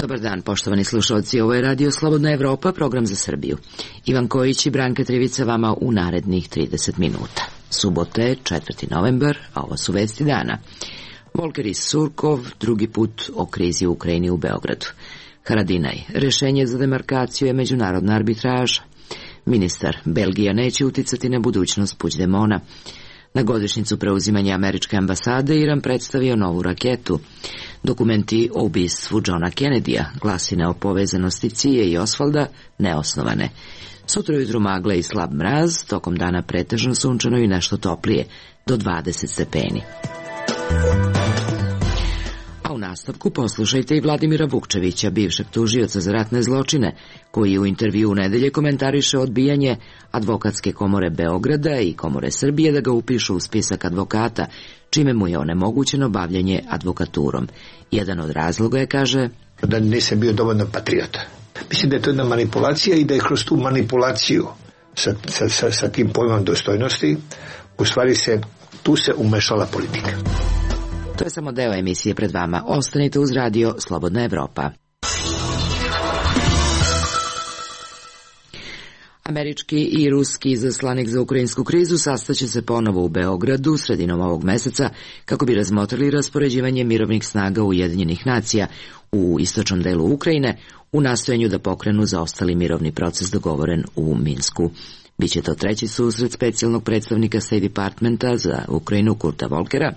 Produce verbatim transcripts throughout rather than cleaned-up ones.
Dobar dan, poštovani slušalci, ovo je Radio Slobodna Evropa, program za Srbiju. Ivan Kojić i Branka Trivica vama u narednih trideset minuta. Subote, četvrti novembar, a ovo su vesti dana. Volker i Surkov, drugi put o krizi u Ukrajini u Beogradu. Haradinaj, rešenje za demarkaciju je međunarodna arbitraža. Ministar, Belgija neće uticati na budućnost Puigdemona. Na godišnjicu preuzimanja američke ambasade Iran predstavio novu raketu. Dokumenti o ubistvu Johna Kennedya, glasine o povezanosti Cije i Osvalda, neosnovane. Sutra ujutru magle i slab mraz, tokom dana pretežno sunčano i nešto toplije, do dvadeset stepeni. A u nastavku poslušajte i Vladimira Vukčevića, bivšeg tužioca za ratne zločine, koji u intervju u nedelje komentariše odbijanje Advokatske komore Beograda i Komore Srbije da ga upišu u spisak advokata, čime mu je onemogućeno bavljanje advokaturom. Jedan od razloga je, kaže, da nisam bio dovoljno patriota. Mislim da je to jedna manipulacija i da je kroz tu manipulaciju sa, sa, sa, sa tim pojmom dostojnosti u stvari se, tu se umešala politika. To je samo deo emisije pred vama. Ostanite uz Radio Slobodna Evropa. Američki i ruski izaslanik za ukrajinsku krizu sastaće se ponovo u Beogradu sredinom ovog meseca kako bi razmotrili raspoređivanje mirovnih snaga Ujedinjenih nacija u istočnom delu Ukrajine u nastojanju da pokrenu zaostali mirovni proces dogovoren u Minsku. Biće to treći susret specijalnog predstavnika State Departmenta za Ukrajinu Kurta Volkera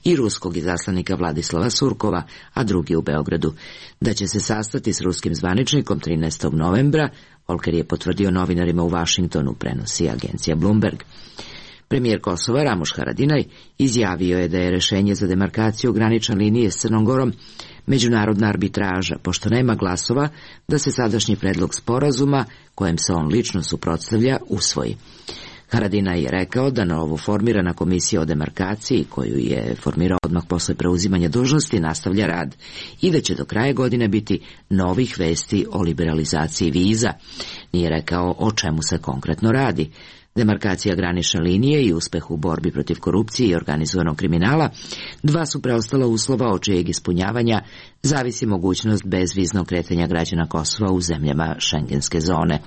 i ruskog izaslanika Vladislava Surkova, a drugi u Beogradu. Da će se sastati s ruskim zvaničnikom trinaestog novembra, Volker je potvrdio novinarima u Vašingtonu, prenosi agencija Bloomberg. Premijer Kosova Ramuš Haradinaj izjavio je da je rešenje za demarkaciju granične linije s Crnom Gorom međunarodna arbitraža, pošto nema glasova da se sadašnji predlog sporazuma, kojem se on lično suprotstavlja, usvoji. Haradinaj je rekao da novo formirana komisija o demarkaciji, koju je formirao odmah posle preuzimanja dužnosti, nastavlja rad i da će do kraja godine biti novih vesti o liberalizaciji viza. Nije rekao o čemu se konkretno radi. Demarkacija granične linije i uspeh u borbi protiv korupcije i organizovanog kriminala, dva su preostala uslova od čijeg ispunjavanja zavisi mogućnost bezviznog kretanja građana Kosova u zemljama šengenske zone.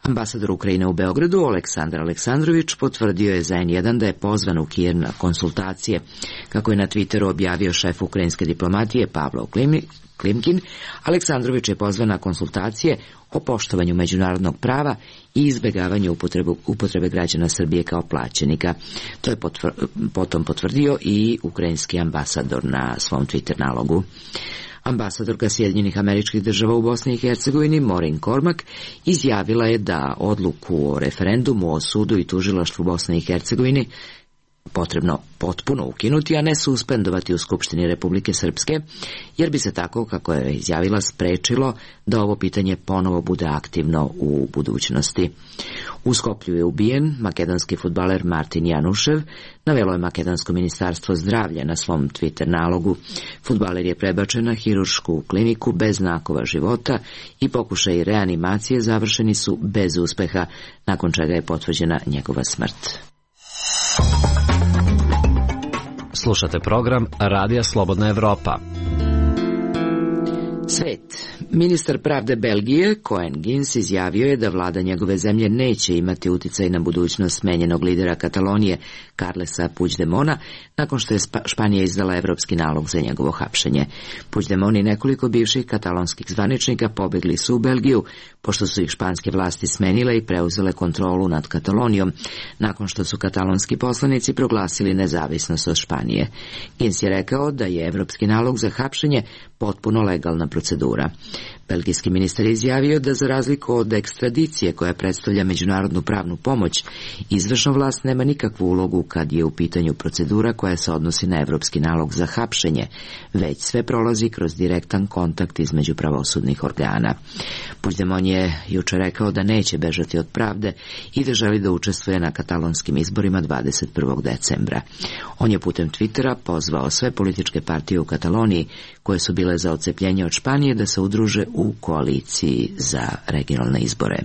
Ambasador Ukrajine u Beogradu, Aleksandar Aleksandrović, potvrdio je za en jedan da je pozvan u Kijev na konsultacije. Kako je na Twitteru objavio šef ukrajinske diplomatije Pavlo Klimkin, Aleksandrović je pozvan na konsultacije o poštovanju međunarodnog prava i izbegavanju upotrebe, upotrebe građana Srbije kao plaćenika. To je potvr, potom potvrdio i ukrajinski ambasador na svom Twitter nalogu. Ambasadorka Sjedinjenih Američkih Država u Bosni i Hercegovini, Maureen Cormack, izjavila je da odluku o referendumu o sudu i tužilaštvu Bosne i Hercegovini potrebno potpuno ukinuti, a ne suspendovati u Skupštini Republike Srpske, jer bi se tako, kako je izjavila, sprečilo da ovo pitanje ponovo bude aktivno u budućnosti. U Skoplju je ubijen makedonski fudbaler Martin Janušev, navelo je makedonsko ministarstvo zdravlja na svom Twitter nalogu. Fudbaler je prebačen na hiruršku kliniku bez znakova života i pokušaji reanimacije završeni su bez uspeha, nakon čega je potvrđena njegova smrt. Slušate program Radija Slobodna Evropa. Svet. Ministar pravde Belgije, Koen Gins, izjavio je da vlada njegove zemlje neće imati uticaj na budućnost smenjenog lidera Katalonije, Carlesa Puigdemona, nakon što je Španija izdala evropski nalog za njegovo hapšenje. Puigdemon i nekoliko bivših katalonskih zvaničnika pobegli su u Belgiju, pošto su ih španske vlasti smenile i preuzele kontrolu nad Katalonijom, nakon što su katalonski poslanici proglasili nezavisnost od Španije. Gins je rekao da je evropski nalog za hapšenje potpuno legalna procedura. Belgijski ministar je izjavio da za razliku od ekstradicije koja predstavlja međunarodnu pravnu pomoć, izvršna vlast nema nikakvu ulogu kad je u pitanju procedura koja se odnosi na evropski nalog za hapšenje, već sve prolazi kroz direktan kontakt između pravosudnih organa. Puigdemont je juče rekao da neće bežati od pravde i da želi da učestvuje na katalonskim izborima dvadeset prvog decembra. On je putem Twittera pozvao sve političke partije u Kataloniji koje su bile za odcepljenje od Španije da se udruže u koaliciji za regionalne izbore.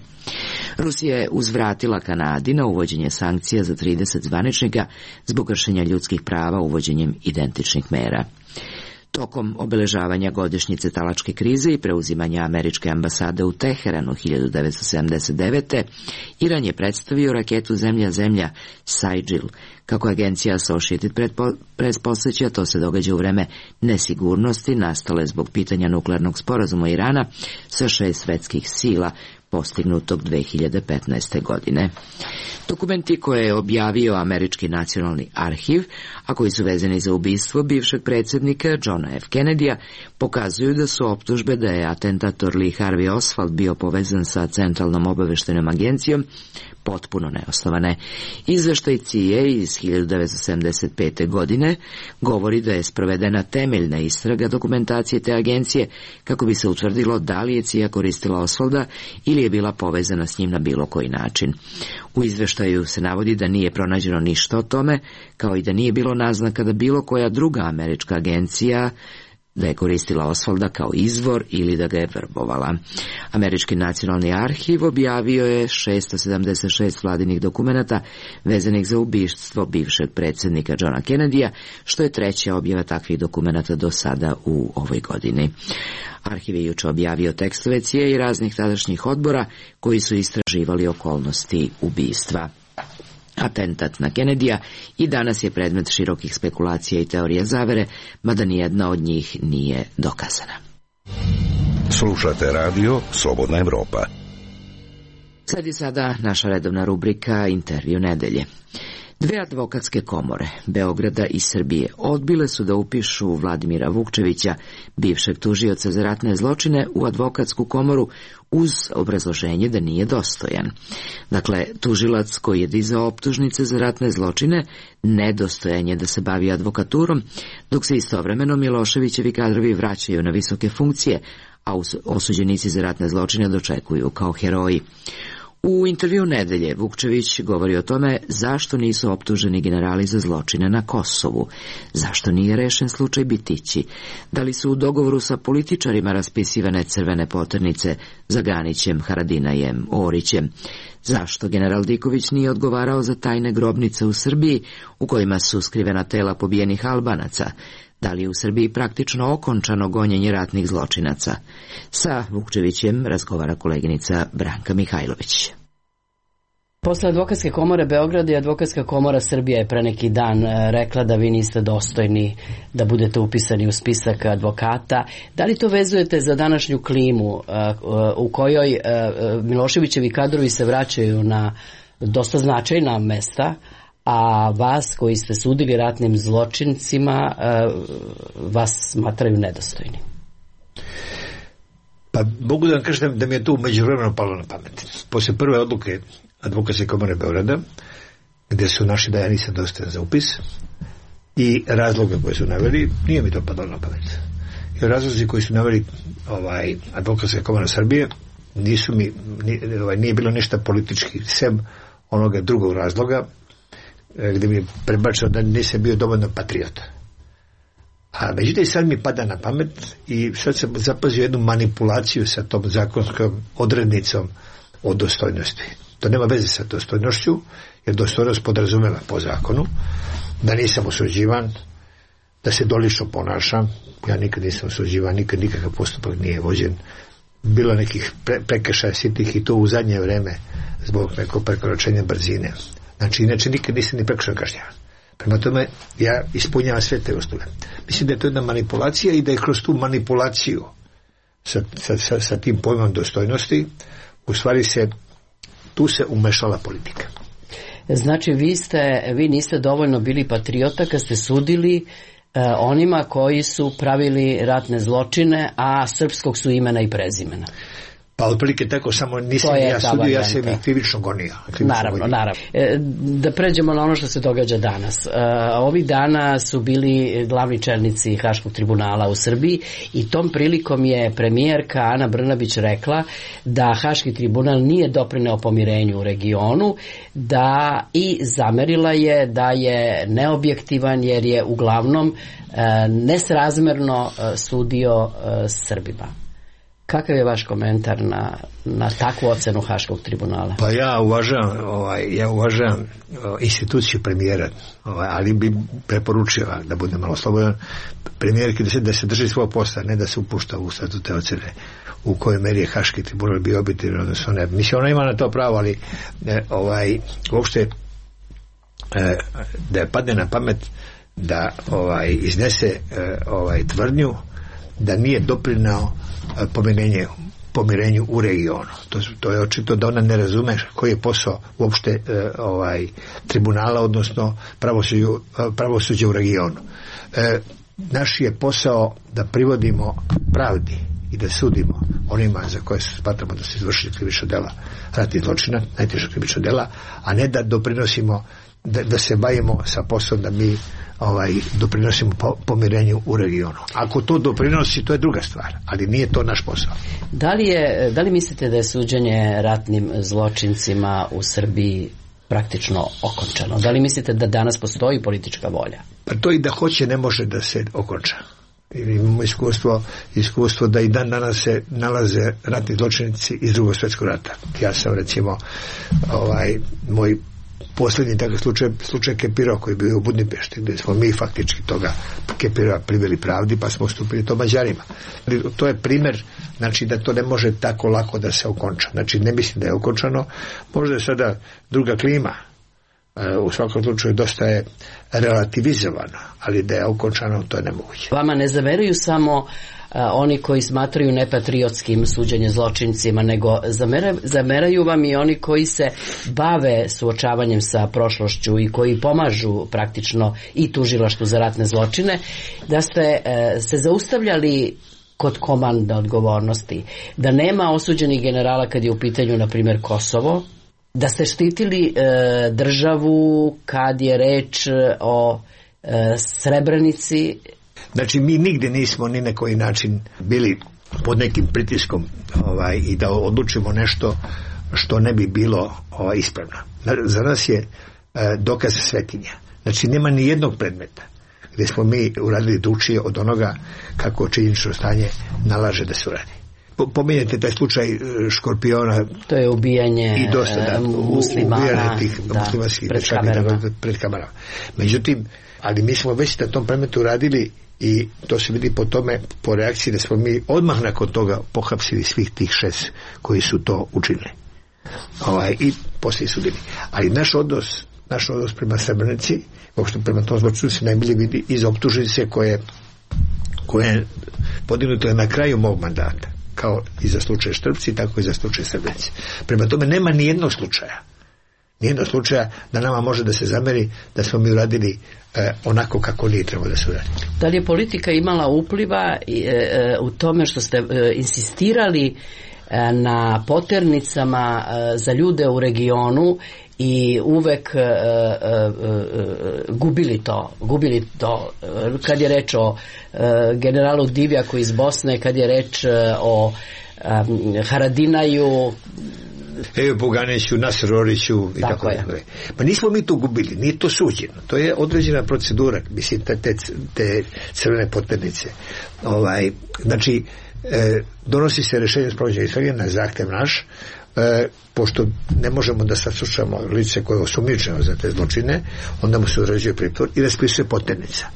Rusija je uzvratila Kanadi na uvođenje sankcija za trideset zvaničnika zbog kršenja ljudskih prava uvođenjem identičnih mera. Tokom obeležavanja godišnjice talačke krize i preuzimanja američke ambasade u Teheranu hiljadu devetsto sedamdeset devete. Iran je predstavio raketu zemlja-zemlja Saidžil. Kako agencija Associated Press posjeća, to se događa u vreme nesigurnosti nastale zbog pitanja nuklearnog sporazuma Irana sa šest svetskih sila postignutog dve hiljade petnaeste. godine. Dokumenti koje je objavio Američki nacionalni arhiv, a koji su vezani za ubistvo bivšeg predsjednika Johna F. Kennedyja, pokazuju da su optužbe da je atentator Lee Harvey Oswald bio povezan sa Centralnom obaveštajnom agencijom potpuno neosnovane. Izveštaj C I A iz hiljadu devetsto sedamdeset pete. godine govori da je sprovedena temeljna istraga dokumentacije te agencije kako bi se utvrdilo da li je C I A koristila Oswalda ili je bila povezana s njim na bilo koji način. U izveštaju se navodi da nije pronađeno ništa o tome, kao i da nije bilo naznaka da bilo koja druga američka agencija da je koristila Oswalda kao izvor ili da ga je vrbovala. Američki nacionalni arhiv objavio je šesto sedamdeset šest vladinih dokumenata vezanih za ubistvo bivšeg predsjednika Johna Kennedyja, što je treća objava takvih dokumenata do sada u ovoj godini. Arhiv je juče objavio tekstove C I A i raznih tadašnjih odbora koji su istraživali okolnosti ubistva. Atentat na Kennedyja i danas je predmet širokih spekulacija i teorija zavere, mada nijedna od njih nije dokazana. Slušate radio Slobodna Evropa. Sledi sada naša redovna rubrika Intervju nedelje. Dve advokatske komore, Beograda i Srbije, odbile su da upišu Vladimira Vukčevića, bivšeg tužioca za ratne zločine, u advokatsku komoru uz obrazloženje da nije dostojan. Dakle, tužilac koji je dizao optužnice za ratne zločine nedostojan je da se bavi advokaturom, dok se istovremeno Miloševićevi kadrovi vraćaju na visoke funkcije, a osuđenici za ratne zločine dočekuju kao heroji. U intervju nedelje Vukčević govori o tome zašto nisu optuženi generali za zločine na Kosovu, zašto nije rešen slučaj Bitići, da li su u dogovoru sa političarima raspisivane crvene poternice za Ganićem, Haradinajem, Orićem, zašto general Diković nije odgovarao za tajne grobnice u Srbiji u kojima su skrivena tela pobijenih Albanaca, da li je u Srbiji praktično okončano gonjenje ratnih zločinaca. Sa Vukčevićem razgovara koleginica Branka Mihajlović. Posle Advokatske komore Beograda i Advokatska komora Srbije je pre neki dan rekla da vi niste dostojni da budete upisani u spisak advokata. Da li to vezujete za današnju klimu u kojoj Miloševićevi kadrovi se vraćaju na dosta značajna mesta, a vas koji ste sudili ratnim zločincima vas smatraju nedostojni? Pa mogu da vam kažem da mi je to međuvremeno palo na pamet. Posle prve odluke Advokatske komore Beograda, gde su naši da ja nisam dostojan za upis, i razloga koje su naveli, nije mi to padalo na pamet. I razlozi koji su naveli ovaj, Advokatska komora Srbije nisu mi, nije, ovaj, nije bilo ništa politički, sem onoga drugog razloga, gde mi je prebačeno da nisam bio dovoljno patriota. A međutim sad mi pada na pamet i sad sam zapazio jednu manipulaciju sa tom zakonskom odrednicom o dostojnosti. To nema veze sa dostojnošću, jer dostojnost podrazumeva po zakonu da nisam osuđivan, da se dolično ponašam. Ja nikad nisam osuđivan, nikad nikakav postupak nije vođen. Bilo nekih pre, prekršaja sitnih i to u zadnje vreme zbog nekog prekoračenja brzine. Znači, inače nikad nisam ni prekršajno kažnjavan. Prema tome, ja ispunjavam sve te uslove. Mislim da je to jedna manipulacija i da je kroz tu manipulaciju sa, sa, sa, sa tim pojmom dostojnosti, u stvari se, tu se umešala politika. Znači, vi, ste, vi niste dovoljno bili patriota kad ste sudili eh, onima koji su pravili ratne zločine, a srpskog su imena i prezimena. Pa otprilike tako, samo nisam ja sudio, ja sam ih krivično gonio. Krivično naravno, gonio. naravno. E, da pređemo na ono što se događa danas. E, ovih dana su bili glavni čelnici Haškog tribunala u Srbiji i tom prilikom je premijerka Ana Brnabić rekla da Haški tribunal nije doprineo pomirenju u regionu, da i zamerila je da je neobjektivan jer je uglavnom e, nesrazmerno e, sudio e, Srbima. Kakav je vaš komentar na, na takvu ocenu Haškog tribunala? Pa ja uvažavam, ovaj, ja uvažavam instituciju premijera, ovaj, ali bi preporučio da bude malo slobodan premijerki da se, da se drži svoj posla, ne da se upušta u sad te ocene u kojoj meri je Haški tribunal bio objektivan, odnosno ne. Mislim, ona ima na to pravo, ali ne, ovaj, uopšte e, da je padne na pamet da ovaj, iznese e, ovaj, tvrdnju da nije doprinao e, pomirenje, pomirenju u regionu. To, to je očito da ona ne razume koji je posao uopšte e, ovaj, tribunala, odnosno pravosuđe, pravosuđe u regionu. E, naš je posao da privodimo pravdi i da sudimo onima za koje smatramo da se izvršili krivična dela, ratnih zločina, najteža krivična dela, a ne da doprinosimo, da, da se bavimo sa poslom da mi ovaj, doprinosimo po, pomirenju u regionu. Ako to doprinosi, to je druga stvar, ali nije to naš posao. Da li, je, da li mislite da je suđenje ratnim zločincima u Srbiji praktično okončano? Da li mislite da danas postoji politička volja? Pa to i da hoće ne može da se okonča. Imamo iskustvo, iskustvo da i dan danas se nalaze ratni zločinici iz Drugog svjetskog rata. Ja sam recimo ovaj, moj posljednji takav slučaj, slučaj Kepirova koji je bio u Budimpešti, gdje smo mi faktički toga Kepirova priveli pravdi, pa smo ustupili to Mađarima. To je primjer, znači da to ne može tako lako da se okonča. Znači ne mislim da je okončano, možda je sada druga klima, u svakom slučaju dosta je relativizovano, ali da je okončano, to je nemoguće. Vama ne zameraju samo a, oni koji smatraju nepatriotskim suđenje zločincima, nego zameraju, zameraju vam i oni koji se bave suočavanjem sa prošlošću i koji pomažu praktično i tužilaštvu za ratne zločine, da ste e, se zaustavljali kod komanda odgovornosti, da nema osuđenih generala kad je u pitanju, na primjer, Kosovo, da ste štitili e, državu kad je reč o e, Srebrenici. Znači mi nigdje nismo ni na koji način bili pod nekim pritiskom ovaj, i da odlučimo nešto što ne bi bilo ovaj, ispravno. Za nas je e, dokaz svetinja. Znači nema ni jednog predmeta gdje smo mi uradili drukčije od onoga kako činjenično stanje nalaže da se uradi. Pominjete taj slučaj Škorpiona, to je ubijanje i dosta, da, muslimana, ubijanje tih da, muslimanskih pred kamerama. pred kamerama. Međutim, ali mi smo već na tom predmetu radili i to se vidi po tome, po reakciji da smo mi odmah nakon toga pohapsili svih tih šest koji su to učinili. Ovaj, i poslije sudili. Ali naš odnos, naš odnos prema Srebrenici, uopšte prema tom zločinu se najbolje vidi iz optužnice koje, koje podignuto je na kraju mog mandata, kao i za slučaj Štrpci, tako i za slučaj Srebrenice. Prema tome nema ni jednog slučaja. Nijednog slučaja da nama može da se zameri da smo mi uradili e, onako kako nije trebalo da se uradi. Da li je politika imala upliva e, e, u tome što ste e, insistirali e, na poternicama e, za ljude u regionu i uvek e, e, e, gubili to, gubili to kad je reč o e, generalu Divjaku iz Bosne, kad je reč e, o e, Haradinaju, Evo Boganiću, Nasr Oriću i tako, tako je. dalje. Pa nismo mi to gubili, nije to suđeno. To je određena procedura, mislim, te, te, te crvene poternice. Ovaj, znači, e, donosi se rješenje sprovođenja istrage na zahtev naš, e, pošto ne možemo da saslušamo lice koje je osumnjičeno za te zločine, onda mu se određuje pritvor i raspisuje poternica.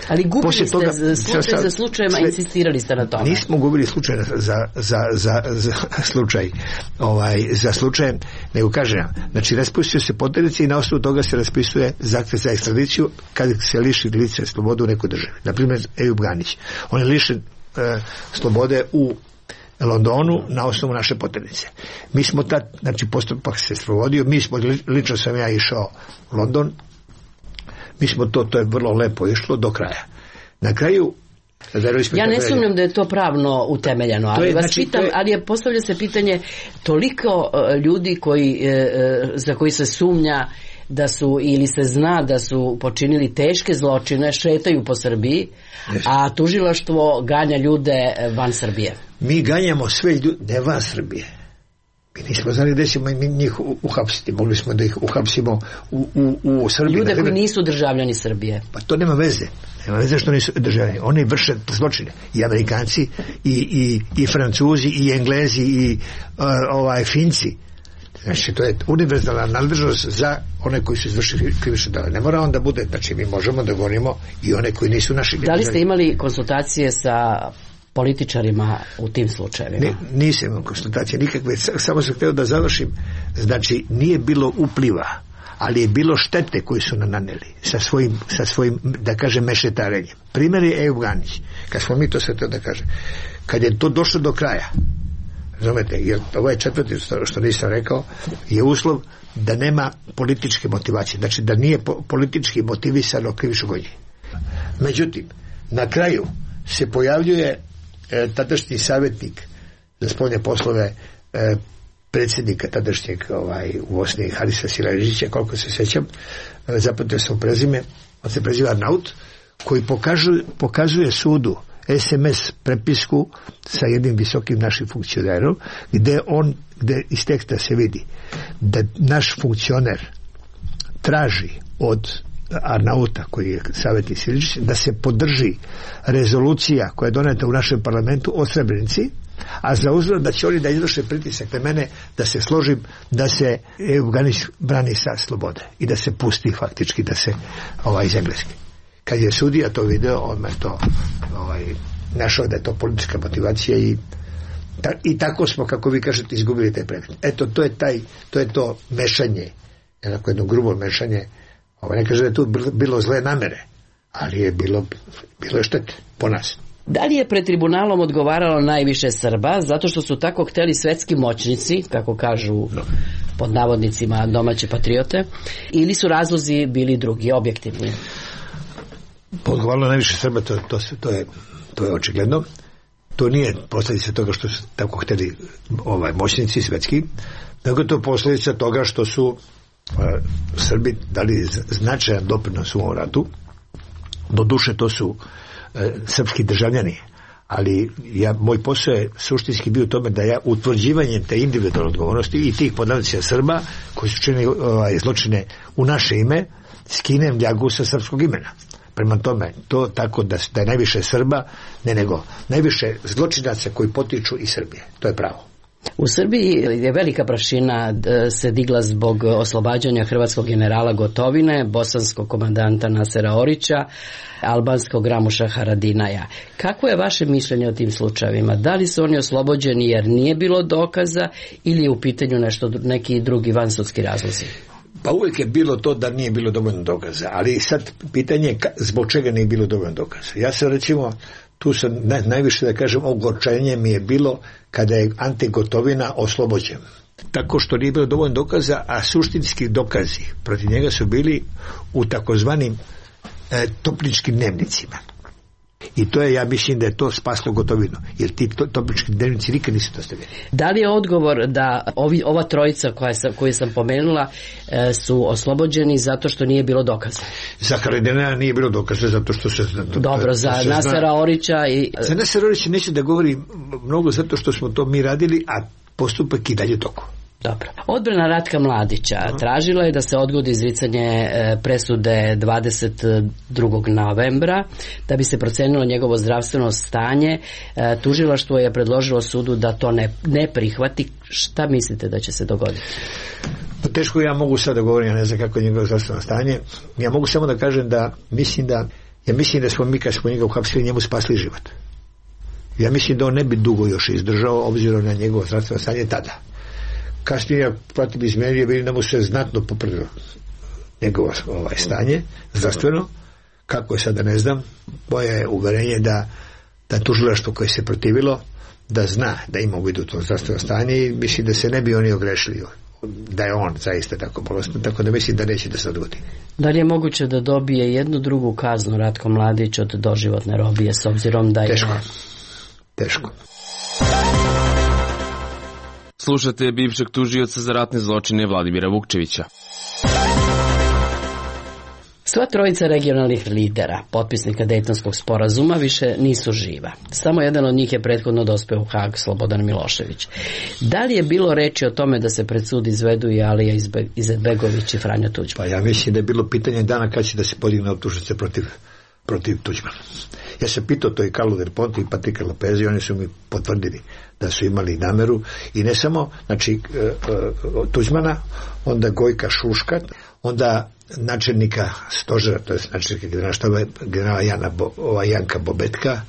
Ali gubili Poslije ste toga, slučaj za, za slučajima, sve, insistirali ste na tome. Nismo gubili slučaj za, za, za, za slučaj, ovaj, za slučajem, nego kažem, znači raspisuje se poternica i na osnovu toga se raspisuje zahtev za ekstradiciju kad se liši lice slobode u nekoj državi. Naprimjer, Ejub Ganić. On je lišen e, slobode u Londonu na osnovu naše poternice. Mi smo tad, znači postupak se sprovodio, mi smo, lično sam ja išao u London, mi smo to, to je vrlo lepo išlo do kraja. Na kraju ja ne sumnjam da je to pravno utemeljeno, ali je, vas znači, pitam, je... ali je postavlja se pitanje toliko uh, ljudi koji, uh, za koji se sumnja da su ili se zna da su počinili teške zločine, šetaju po Srbiji, yes. a tužilaštvo ganja ljude van Srbije. Mi ganjamo sve ljude, ne van Srbije. Mi nismo znali da ćemo mi njih uhapsiti. Mogli smo da ih uhapsimo u, u, u Srbiji. Ljude koji nisu državljani Srbije. Pa to nema veze. Nema veze što nisu državljani. Oni vrše zločine. I Amerikanci, i, i, i Francuzi, i Englezi, i uh, ovaj, Finci. Znači, to je univerzalna nadležnost za one koji su izvršili krivično delo. Ne mora on da bude, znači mi možemo da govorimo i one koji nisu naši. Da li ste imali konsultacije sa političarima u tim slučajevima? Ne, nisam imao konsultacije nikakve, samo sam htio da završim. Znači, nije bilo upliva, ali je bilo štete koje su nam naneli sa svojim, sa svojim, da kažem, mešetarenjem. Primjer je Ejup Ganić. Kad smo mi to sve to da kažem. Kad je to došlo do kraja, razumete, jer ovo je četvrti što nisam rekao, je uslov da nema političke motivacije, znači da nije po, politički motivisano krivično gonjenje. Međutim, na kraju se pojavljuje e, tadašnji savjetnik za spoljne poslove e, predsjednika tadašnjeg ovaj, u Bosni Harisa Silajdžića, koliko se sjećam, e, zapamtio sam prezime, on se preziva Arnaut, koji pokažu, pokazuje sudu es em es prepisku sa jednim visokim našim funkcionerom, gde on, gde iz teksta se vidi da naš funkcioner traži od Arnauta, koji je savjetnik Silajdžić, da se podrži rezolucija koja je doneta u našem parlamentu o Srebrenici, a za uzvrat da će oni da izvrše pritisak na mene da se složim da se Ejup Ganić brani sa slobode i da se pusti faktički, da se ovaj, iz Engleske. Kad je sudija to video, on me to ovaj, našao da je to politička motivacija i, ta, i tako smo, kako vi kažete, izgubili taj predmet. Eto, to je, taj, to, je to mešanje, jednako jedno grubo mešanje. Ovaj, ne kaže da je tu bilo zle namere, ali je bilo, bilo je štete po nas. Da li je pred tribunalom odgovaralo najviše Srba zato što su tako hteli svetski moćnici, kako kažu pod navodnicima domaće patriote, ili su razlozi bili drugi, objektivni? Odgovaralo najviše Srba, to, to, to, je, to je očigledno. To nije posljedica toga što su tako hteli ovaj, moćnici svetski, nego to je posljedica toga što su uh, Srbi dali značajan doprinos u ovom ratu. Do duše to su srpski državljani, ali ja, moj posao je suštinski bio u tome da ja utvrđivanjem te individualne odgovornosti i tih podavnica Srba koji su činili ovaj, zločine u naše ime skinem ljagu sa srpskog imena. Prema tome, to tako da, da je najviše Srba, ne nego najviše zločinaca koji potiču iz Srbije. To je pravo. U Srbiji je velika prašina se digla zbog oslobađanja hrvatskog generala Gotovine, bosanskog komandanta Nasera Orića, albanskog Ramuša Haradinaja. Kako je vaše mišljenje o tim slučajevima? Da li su oni oslobođeni jer nije bilo dokaza ili je u pitanju nešto, neki drugi vansudski razlozi? Pa uvijek je bilo to da nije bilo dovoljno dokaza, ali sad pitanje je zbog čega nije bilo dovoljno dokaza. Ja sam recimo, tu sam naj, najviše da kažem, ogorčenje mi je bilo kada je Ante Gotovina oslobođen. Tako što nije bilo dovoljno dokaza, a suštinski dokazi protiv njega su bili u takozvanim e, topničkim dnevnicima. I to je, ja mislim da je to spaslo Gotovinu, jer ti to, topnički dnevnici nikad nisu dostavljeni. Da li je odgovor da ovi, ova trojica koja sam, koju sam pomenula e, su oslobođeni zato što nije bilo dokaza? Za Haradinaja nije bilo dokaza zato što se... To, Dobro, za Nasera Orića i... Za Nasera Orića neću da govori mnogo zato što smo to mi radili, a postupak i dalje toku. Dobro. Odbrana Ratka Mladića tražila je da se odgodi izricanje presude dvadeset drugog novembra da bi se procenilo njegovo zdravstveno stanje. Tužilaštvo je predložilo sudu da to ne, ne prihvati. Šta mislite da će se dogoditi? Pa teško ja mogu sad da govorim, ja ne znam kako je njegovo zdravstveno stanje. Ja mogu samo da kažem da mislim da ja mislim da smo mi kad smo njega uhapsili njemu spasli život. Ja mislim da on ne bi dugo još izdržao obzirom na njegovo zdravstveno stanje tada. Kasnije ja pratim izmjerije, vidim da mu se znatno popravilo njegovo ovaj, stanje zdravstveno. Kako je sada ne znam. Moje je uverenje da, da tužilaštvo koje se protivilo da zna da ima u vidu to zdravstveno stanje i mislim da se ne bi oni ogrešili da je on zaista tako bolestan, tako da mislim da neće da se odgodi. Da li je moguće da dobije jednu drugu kaznu Ratko Mladić od doživotne robije s obzirom da je... Teško. Teško. Slušate bivšeg tužioca za ratne zločine Vladimira Vukčevića. Sva trojica regionalnih lidera, potpisnika Dejtonskog sporazuma, više nisu živa. Samo jedan od njih je prethodno dospeo u Hag, Slobodan Milošević. Da li je bilo reči o tome da se pred sud izvedu i Alija Izetbegović i Franjo Tuđman? Pa ja mislim da je bilo pitanje dana kad će da se podigne optužnice protiv, protiv Tuđmana. Ja sam pitao to i Carlo Del Ponte i Patrika Lopeza i oni su mi potvrdili da su imali nameru i ne samo, znači, Tuđmana, onda Gojka Šuška, onda načelnika stožera, to je načelnika generala štaba, generala Jana Bo, ova Janka Bobetka,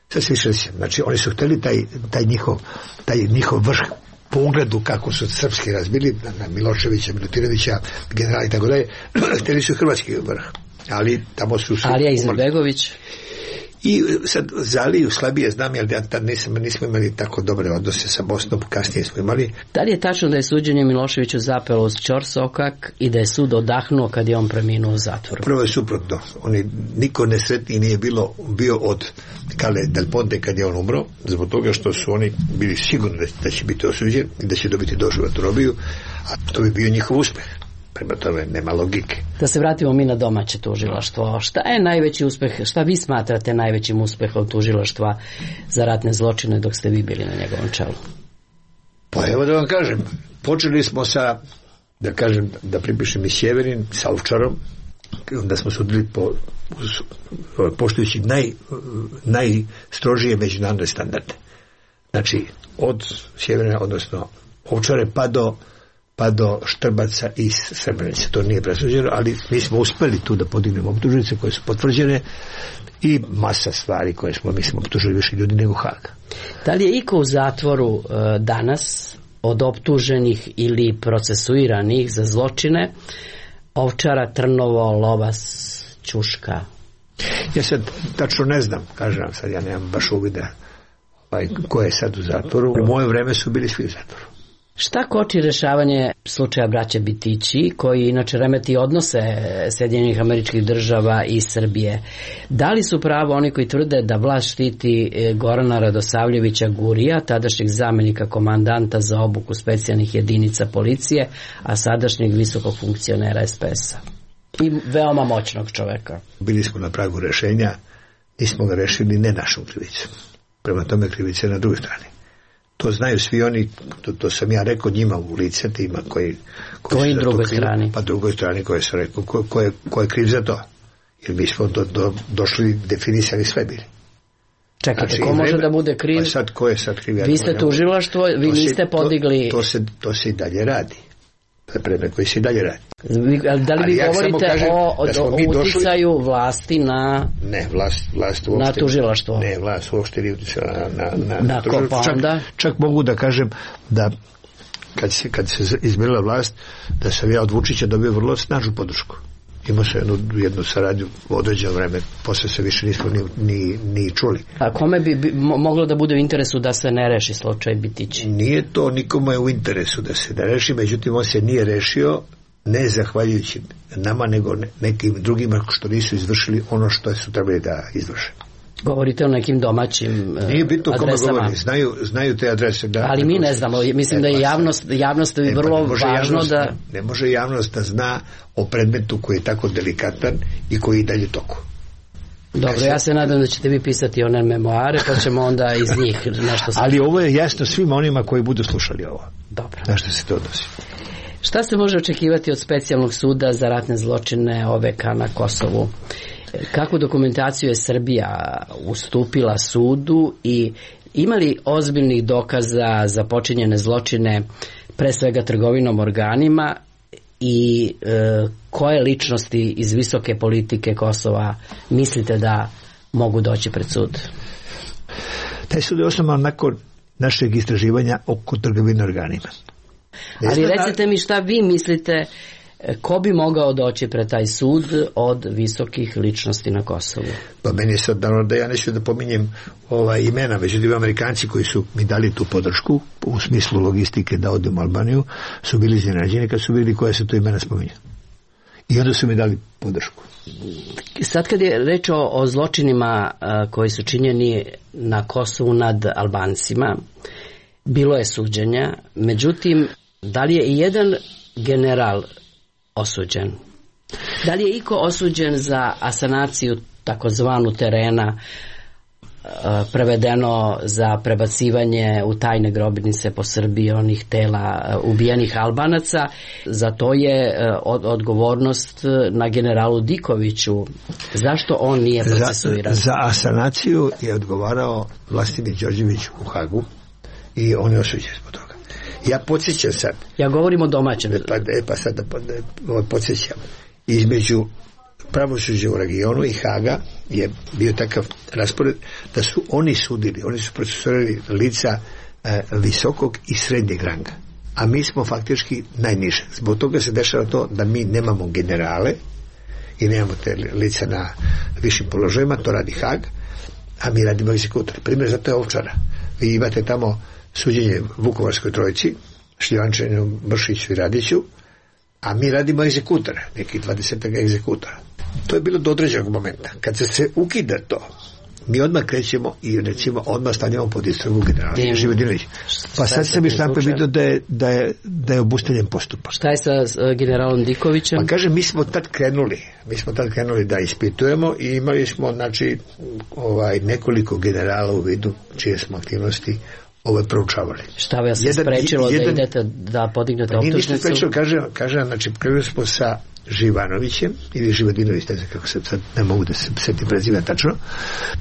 sad se više sjećam. Znači, oni su hteli taj, taj, njihov, taj njihov vrh po ugledu kako su srpski razbili, na Miloševića, Milutinovića, generala i tako dalje, hteli su hrvatski vrh. Ali tamo su... Alija Izetbegović. I sad za Aliju slabije znam, jer ja tad nisam, nismo imali tako dobre odnose sa Bosnom, kasnije smo imali. Da li je tačno da je suđenje Miloševiću zapelo uz ćorsokak i da je sud odahnuo kad je on preminuo u zatvoru? Prvo je suprotno. Oni, niko nesretniji nije bilo, bio od Carlo Del Ponte kad je on umro, zbog toga što su oni bili sigurni da će biti osuđen i da će dobiti doživotnu robiju, a to bi bio njihov uspeh. Prema tome nema logike. Da se vratimo mi na domaće tužilaštvo. Šta je najveći uspeh, šta vi smatrate najvećim uspehom tužilaštva za ratne zločine dok ste vi bili na njegovom čelu? Pa evo da vam kažem, počeli smo sa, da kažem, da pripišem i Sjeverin, sa Ovčarom, onda smo sudili po, poštujući naj, najstrožije međunarodne standarde. Znači, od Sjeverina, odnosno Ovčare, pa do pa do Štrbaca iz Srebrenice. To nije presuđeno, ali mi smo uspeli tu da podignemo optužnice koje su potvrđene i masa stvari koje smo, mi smo optužili više ljudi nego Haga. Da li je iko u zatvoru uh, danas od optuženih ili procesuiranih za zločine Ovčara, Trnovo, Lovas, Ćuška? Ja sad tačno ne znam, kažem vam sad, ja nemam baš uvida ovaj, ko je sad u zatvoru. U moje vreme su bili svi u zatvoru. Šta koči rešavanje slučaja braće Bitići, koji inače remeti odnose Sjedinjenih Američkih Država i Srbije? Da li su pravo oni koji tvrde da vlast štiti Gorana Radosavljevića Gurija, tadašnjeg zamenika komandanta za obuku specijalnih jedinica policije, a sadašnjeg visokog funkcionera es pe es-a? I veoma moćnog čoveka. Bili smo na pragu rešenja, nismo ga rešili ne našom krivicom. Prema tome krivica je na drugoj strani. To znaju svi oni, to, to sam ja rekao njima u lice, tima koji... Koji drugoj strani? Pa drugoj strani koje sam rekao, ko, ko, je, ko je kriv za to. Jer mi smo do, do, došli, definisali sve bili. Čekajte, znači, ko može vreme, da bude kriv? Pa sad, ko je sad kriv? Ja vi ste tužilaštvo, vi se, niste podigli... To, to, se, to se i dalje radi. To je predmet koji se i dalje radi. Da li vi ja govorite o, o, o uticaju došli... vlasti na... Ne, vlast, vlast uopšte... Na tužilaštvo. Ne, vlast uopšte nije uticala na, na, na, na tužilaštvo. Čak, čak mogu da kažem da kad se, kad se izbila vlast, da sam ja od Vučića dobio vrlo snažnu podršku. Imao sam jednu, jednu saradnju u određeno vreme, posle se više nismo ni, ni, ni čuli. A kome bi, bi moglo da bude u interesu da se ne reši slučaj Bitići? Nije to nikome u interesu da se ne reši, međutim on se nije rešio ne zahvaljujući nama, nego nekim drugima što nisu izvršili ono što su trebali da izvrše. Govorite o nekim domaćim adresama. Nije bitno kome govori, znaju, znaju te adrese. Da, ali mi ne znamo, mislim da je javnost, javnost je vrlo važno javnost, da... Ne može javnost da zna o predmetu koji je tako delikatan i koji je dalje toku. Dobro, ja se nadam da ćete vi pisati one memoare, pa ćemo onda iz njih nešto... Ali ovo je jasno svima onima koji budu slušali ovo. Dobro. Na što se to odnosi? Šta se može očekivati od specijalnog suda za ratne zločine O V K na Kosovu? Kakvu dokumentaciju je Srbija ustupila sudu i ima li ozbiljnih dokaza za počinjene zločine, pre svega trgovinom organima, i e, koje ličnosti iz visoke politike Kosova mislite da mogu doći pred sud? Taj sud je osnovan nakon našeg istraživanja oko trgovine organima. Ne Ali recite da... mi šta vi mislite, ko bi mogao doći pred taj sud od visokih ličnosti na Kosovu? Pa meni je sad dano da ja neću da pominjem ova imena, međutim Amerikanci koji su mi dali tu podršku u smislu logistike da odem u Albaniju su bili iznenađeni kad su vidjeli koje se to imena spominja. I onda su mi dali podršku. Sad kad je reč o, o zločinima a, koji su činjeni na Kosovu nad Albancima, bilo je suđenja, međutim, da li je i jedan general osuđen? Da li je iko osuđen za asanaciju takozvanu terena, prevedeno za prebacivanje u tajne grobnice po Srbiji onih tela ubijenih Albanaca? Za to je od, odgovornost na generalu Dikoviću. Zašto on nije procesuiran? Za, za asanaciju je odgovarao Vlastimir Đorđević u Hagu i on je osuđen zbog toga. Ja podsjećam sad. Ja govorim o domaćem. Pa, e, pa sad da podsjećam. Između pravosuđa u regionu i Haga je bio takav raspored da su oni sudili, oni su procesuirali lica e, visokog i srednjeg ranga. A mi smo faktički najniže. Zbog toga se dešava to da mi nemamo generale i nemamo te lica na višim položajima, to radi Hag, a mi radimo egzekutori. Primjer za to je Ovčara. Vi imate tamo suđenje Vukovarskoj trojici, Šljivančaninu, Bršiću i Radiću, a mi radimo egzekutore, nekih dvadeset egzekutora. To je bilo do određenog momenta. Kad se se ukida to, mi odmah krećemo i recimo odmah stanjamo pod istragu generala Živodinovića. Pa sad sam mi štampe vidio da je, da je, da je obustavljen postupak. Šta je sa uh, generalom Dikovićem? Pa kaže, mi smo tad krenuli, mi smo tad krenuli da ispitujemo i imali smo, znači, ovaj, nekoliko generala u vidu čije smo aktivnosti ove proučavali. Šta vas je sprečilo jedan, da idete da podignete pa optužnicu? Nije ništa sprečilo, kaže, kaže, znači, krenuli smo sa Živanovićem ili Živodinović, ne znam kako se sad ne mogu da se setim prezime tačno,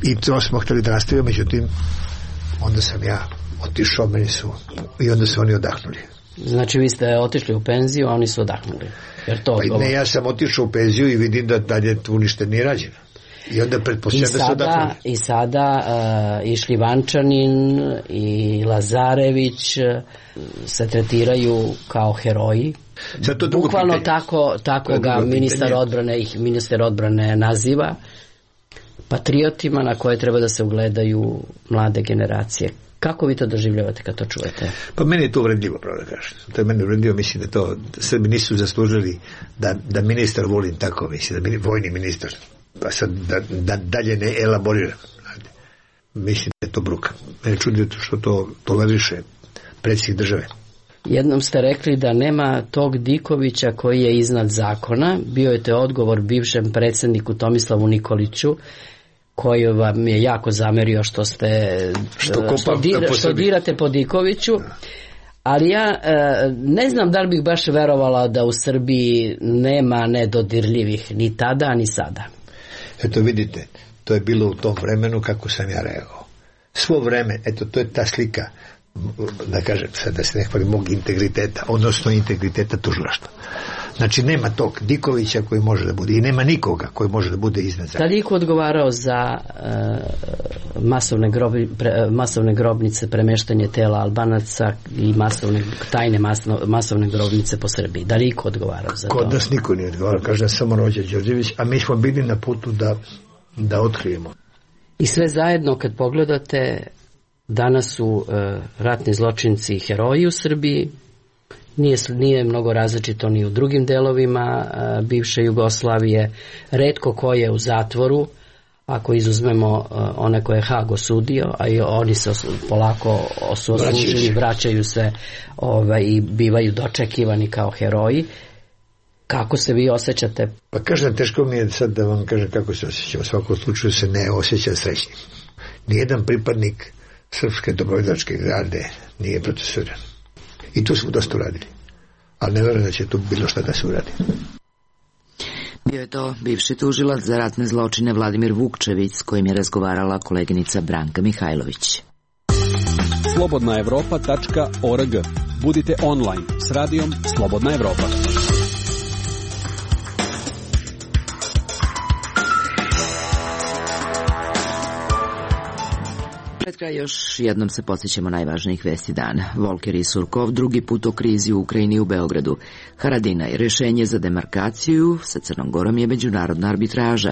i to smo htjeli da nastavimo, međutim onda sam ja otišao, meni su i onda su oni odahnuli. Znači vi ste otišli u penziju, a oni su odahnuli. Jer to pa ne, ja sam otišao u penziju i vidim da dalje tu ništa nije rađeno. I onda pretpostavljam da su odahnuli. I sada uh, i Šljivančanin i Lazarević uh, se tretiraju kao heroji. Bukvalno pitanje. tako, tako ga ministar odbrane, ih ministar odbrane naziva patriotima na koje treba da se ugledaju mlade generacije. Kako vi to doživljavate kad to čujete? Pa meni je to uvredljivo, pravo da kažem. To je meni uvredljivo, mislim da to Srbi nisu zaslužili da, da ministar volim tako, mislim, da vojni ministar, pa sad da, da dalje ne elaboriram. Mislim da je to bruka. Mene čudi što to toleriše predsjednik države. Jednom ste rekli da nema tog Dikovića koji je iznad zakona. Bio je to odgovor bivšem predsjedniku Tomislavu Nikoliću, koji vam je jako zamerio što ste što, kopa, što, dira, što dirate po Dikoviću. Ali ja e, ne znam da li bih baš verovala da u Srbiji nema nedodirljivih ni tada ni sada. Eto vidite, to je bilo u tom vremenu kako sam ja reagovao. Svo vreme, eto to je ta slika, da kažem sad da se ne hvali mog integriteta, odnosno integriteta tužilaštva. Znači nema tog Dikovića koji može da bude i nema nikoga koji može da bude iznad zakona. Da li iko odgovarao za uh, masovne, grobi, pre, masovne grobnice, premeštanje tela Albanaca i masovne, tajne masno, masovne grobnice po Srbiji? Da li iko odgovarao za Kod to? Kod nas niko nije odgovarao, kaže samo Rođa Đorđević, a mi smo bili na putu da, da otkrijemo. I sve zajedno kad pogledate, danas su uh, ratni zločinci heroji u Srbiji. Nije, nije mnogo različito ni u drugim delovima uh, bivše Jugoslavije. Retko ko je u zatvoru, ako izuzmemo uh, one koje je Hag osudio, a i oni se os, polako osuđili, vraćaju se ovaj, i bivaju dočekivani kao heroji. Kako se vi osjećate? Pa kažem, teško mi je sad da vam kažem kako se osjećam. U svakom slučaju se ne osjećam srećnim. Nijedan pripadnik srpske dobrovoljačke garde nije procesuiran. I tu smo dosta uradili. Ali ne vjerujem da će tu bilo šta da se uradi. Bio je to bivši tužilac za ratne zločine Vladimir Vukčević, s kojim je razgovarala koleginica Branka Mihajlović. slobodna evropa tačka org. Budite online s radijom Slobodna Evropa. Pred kraj još jednom se podsjećamo najvažnijih vesti dana. Volker i Surkov drugi put o krizi u Ukrajini i u Beogradu. Haradinaj, rešenje za demarkaciju sa Crnom Gorom je međunarodna arbitraža.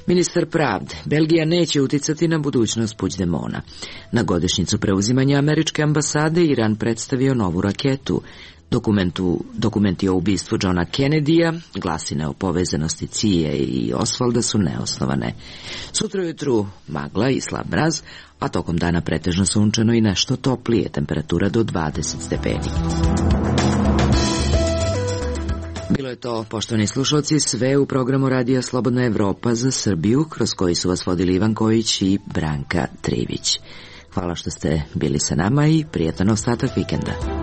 Ministar pravde, Belgija neće uticati na budućnost Puigdemona. Na godišnjicu preuzimanja američke ambasade Iran predstavio novu raketu. Dokumentu, dokumenti o ubistvu Johna Kennedya, glasine o povezanosti C I A i Osvalda su neosnovane. Sutra ujutru magla i slab mraz, a tokom dana pretežno sunčano i nešto toplije, temperatura do dvadeset stepeni. Bilo je to, poštovani slušalci, sve u programu Radija Slobodna Evropa za Srbiju, kroz koji su vas vodili Ivan Kojić i Branka Trivić. Hvala što ste bili sa nama i prijatan ostatak vikenda.